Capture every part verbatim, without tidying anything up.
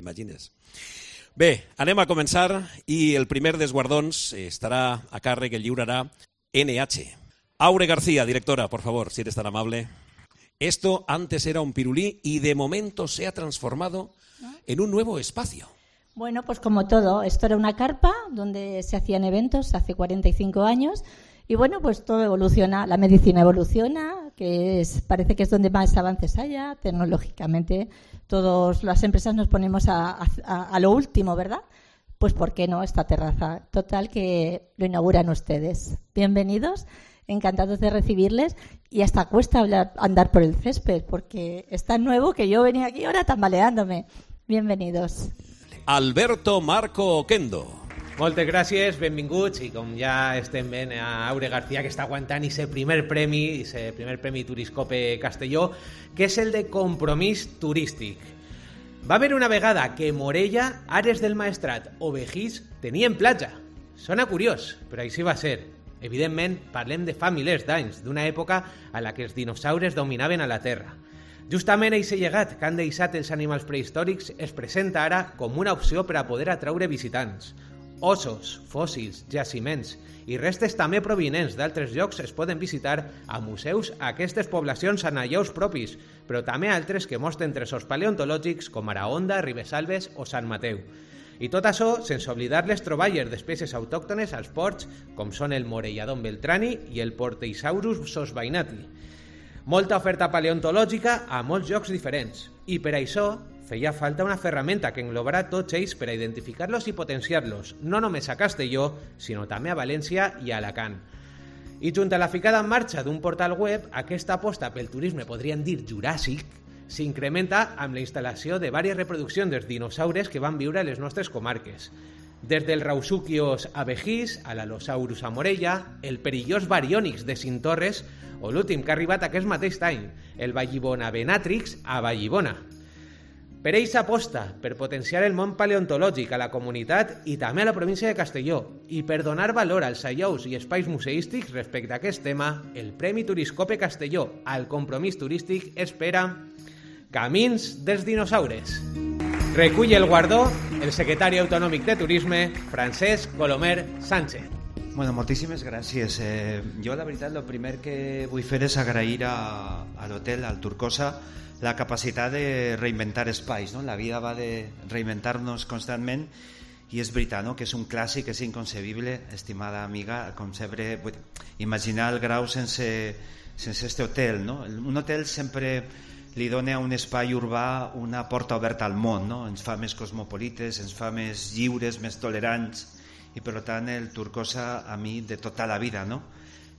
t'imagines. Bé, anem a començar i el primer dels guardons estarà a càrrec, el lliurarà N H. Aure García, directora, por favor, si eres tan amable. Esto antes era un pirulí y de momento se ha transformado en un nuevo espacio. Bueno, pues como todo, esto era una carpa donde se hacían eventos hace cuarenta y cinco años y bueno, pues todo evoluciona, la medicina evoluciona, que es, parece que es donde más avances haya, tecnológicamente todas las empresas nos ponemos a, a, a lo último, ¿verdad? Pues ¿por qué no esta terraza? Total, que lo inauguran ustedes. Bienvenidos, encantados de recibirles y hasta cuesta hablar, andar por el césped porque es tan nuevo que yo venía aquí ahora tambaleándome. Bienvenidos. Alberto Marco Oquendo. Moltes gràcies, benvinguts, i com ja estem veient a Aure García, que està aguantant aquest primer premi, aquest primer premi Turiscope Castelló, que és el de compromís turístic. Va haver una vegada que Morella, Ares del Maestrat o Begís tenien platja. Sona curiós, però així va ser. Evidentment, parlem de fa milers d'anys, d'una època a la que els dinosaures dominaven a la Terra. Justament aquest llegat que han deixat els animals prehistòrics es presenta ara com una opció per a poder atraure visitants. Ossos, fòssils, jaciments i restes també provinents d'altres llocs es poden visitar a museus a aquestes poblacions amb allaus propis, però també altres que mostren tresors paleontològics com ara Onda, Ribesalbes o Sant Mateu. I tot això sense oblidar les troballes d'espècies autòctones als ports com són el Morelladon beltrani i el Porteisaurus sosbainati. Molta oferta paleontològica a molts llocs diferents i per això feia falta una ferramenta que englobara tots ells per a identificar-los i potenciar-los, no només a Castelló, sinó també a València i a Alacant. I junt a la ficada en marxa d'un portal web, aquesta aposta pel turisme, podríem dir juràssic, s'incrementa amb la instal·lació de diverses reproduccions dels dinosaures que van viure a les nostres comarques. Des del Rausuquios a Begís, a l'Alosaurus a Morella, el perillós Baryonyx de Cintorres o l'últim que ha arribat aquest mateix any, el Vallibona Venatrix a Vallibona. Per ells aposta per potenciar el món paleontològic a la comunitat i també a la província de Castelló i per donar valor als allaus i espais museístics respecte a aquest tema, el Premi Turiscope Castelló al compromís turístic espera Camins dels dinosaures. Recull el guardó el secretari autonòmic de Turisme, Francesc Colomer Sánchez. Bueno, moltíssimes gràcies. Eh, jo, la veritat, el primer que vull fer és agrair a, a l'hotel, al Turcosa, la capacitat de reinventar espais, no? La vida va de reinventar-nos constantment i és veritat, no? Que és un clàssic, és inconcebible, estimada amiga, com sempre, imaginar el Grau sense, sense este hotel, no? Un hotel sempre li dona a un espai urbà una porta oberta al món, no? Ens fa més cosmopolites, ens fa més lliures, més tolerants i per tant el Turcosa a mi de tota la vida, no?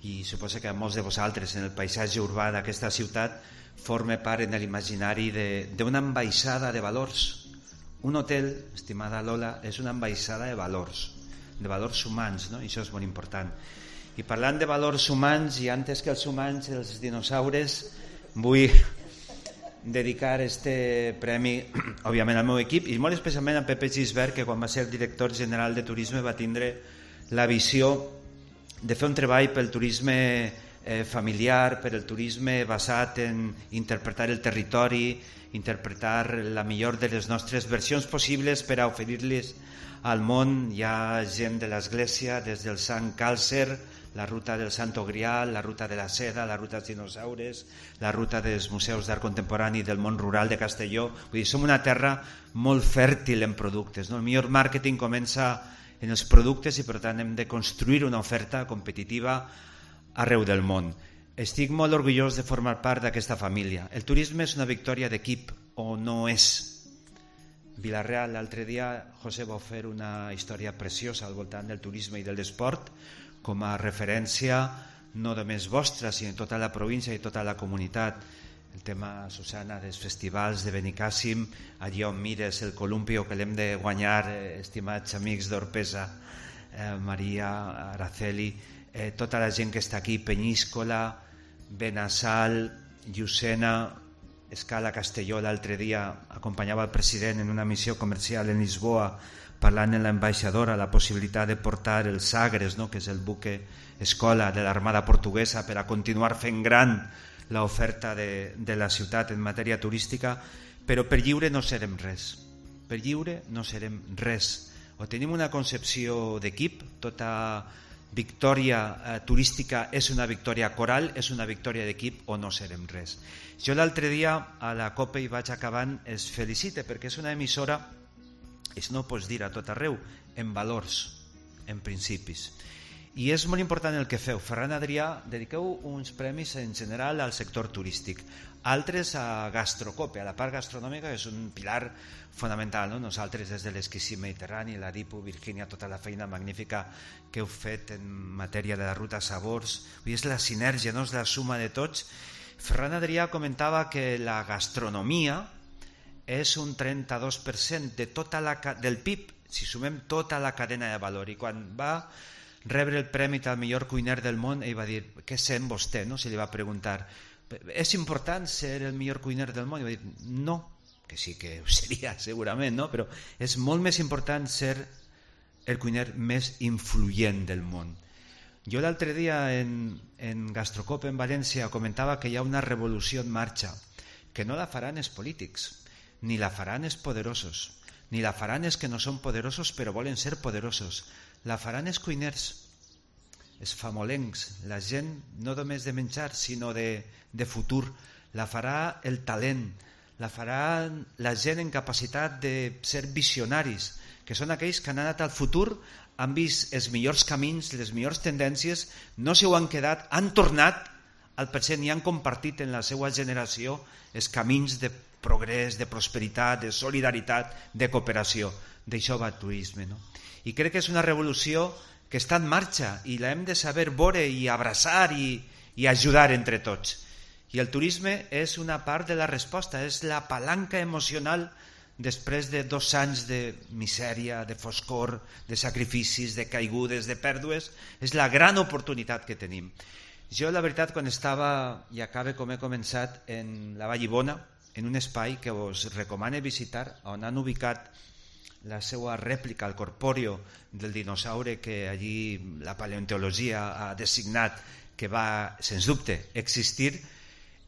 I suposo que a molts de vosaltres en el paisatge urbà d'aquesta ciutat forma part en l'imaginari d'una ambaixada de valors. Un hotel, estimada Lola, és una ambaixada de valors, de valors humans, no? I això és molt important. I parlant de valors humans, i antes que els humans, els dinosaures, vull dedicar este premi, òbviament, al meu equip i molt especialment a Pepe Gisbert, que quan va ser director general de Turisme va tindre la visió de fer un treball pel turisme eh, familiar, per el turisme basat en interpretar el territori, interpretar la millor de les nostres versions possibles per a oferir-les al món. Hi ha gent de l'Església, des del Sant Càlcer, la ruta del Santo Grial, la ruta de la seda, la ruta dels dinosaures, la ruta dels museus d'art contemporani del món rural de Castelló. Vull dir, som una terra molt fèrtil en productes, no? El millor màrqueting comença en els productes i per tant hem de construir una oferta competitiva arreu del món. Estic molt orgullós de formar part d'aquesta família. El turisme és una victòria d'equip o no és. Vila-real, l'altre dia José va fer una història preciosa al voltant del turisme i de l'esport com a referència no només vostra sinó tota la província i tota la comunitat. El tema, Susana, dels festivals de Benicàssim, allà on mires el columpio que l'hem de guanyar, eh, estimats amics d'Orpesa, eh, Maria, Araceli, eh, tota la gent que està aquí, Penyíscola, Benassal, Llucena, Escala Castelló. L'altre dia acompanyava el president en una missió comercial en Lisboa parlant amb l'ambaixadora la possibilitat de portar el Sagres, no? Que és el buque escola de l'Armada Portuguesa per a continuar fent gran l'oferta de, de la ciutat en matèria turística, però per lliure no serem res. per lliure no serem res. O tenim una concepció d'equip, tota victòria eh, turística és una victòria coral, és una victòria d'equip, o no serem res. Jo l'altre dia a la COPE, i vaig acabant, es felicite perquè és una emissora, això no ho pots dir a tot arreu, en valors, en principis. I és molt important el que feu. Ferran Adrià, dediqueu uns premis en general al sector turístic, altres a Gastrocope, a la part gastronòmica, que és un pilar fonamental, no? Nosaltres des de l'esquisí mediterrani, la Dipu, Virgínia, tota la feina magnífica que heu fet en matèria de la ruta Sabors, és la sinergia, no? És la suma de tots. Ferran Adrià comentava que la gastronomia és un trenta-dos per cent de tota la, del P I B, si sumem tota la cadena de valor, i quan va rebre el premi al millor cuiner del món, ell va dir, què sent vostè? No? Se li va preguntar, és important ser el millor cuiner del món? I va dir, no, que sí que ho seria segurament, no? Però és molt més important ser el cuiner més influent del món. Jo l'altre dia en, en Gastrocope en València comentava que hi ha una revolució en marxa, que no la faran els polítics, ni la faran els poderosos, ni la faran els que no són poderosos però volen ser poderosos. La faran els cuiners, els famolencs, la gent no només de menjar sinó de, de futur. La farà el talent, la farà la gent en capacitat de ser visionaris, que són aquells que han anat al futur, han vist els millors camins, les millors tendències, no s'ho han quedat, han tornat al present i han compartit en la seva generació els camins de progrés, de prosperitat, de solidaritat, de cooperació. D'això va el turisme, no? I crec que és una revolució que està en marxa i la hem de saber veure i abraçar i, i ajudar entre tots. I el turisme és una part de la resposta, és la palanca emocional després de dos anys de misèria, de foscor, de sacrificis, de caigudes, de pèrdues. És la gran oportunitat que tenim. Jo, la veritat, quan estava, i acabe com he començat, en la Vallibona, en un espai que us recomano visitar, on han ubicat la seva rèplica al corpòreo del dinosaure que allí la paleontologia ha designat que va, sens dubte, existir,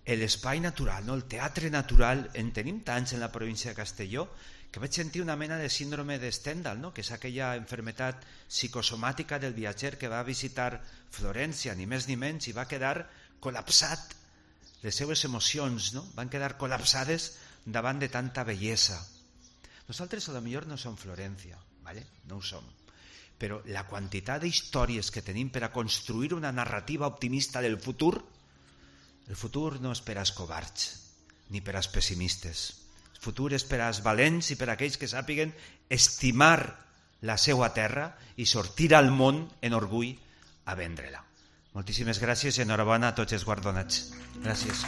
l'espai natural, no? El teatre natural, en tenim tants en la província de Castelló que vaig sentir una mena de síndrome de Stendhal, no? Que és aquella enfermetat psicosomàtica del viatger que va visitar Florència, ni més ni menys, i va quedar col·lapsat. Les seves emocions, no? Van quedar col·lapsades davant de tanta bellesa. Nosaltres a lo millor no som Florència, ¿vale? No ho som, però la quantitat d'històries que tenim per a construir una narrativa optimista del futur, el futur no és per als covards ni per als pessimistes. El futur és per als valents i per a aquells que sàpiguen estimar la seva terra i sortir al món en orgull a vendre-la. Moltíssimes gràcies i enhorabona a tots els guardonats. Gràcies.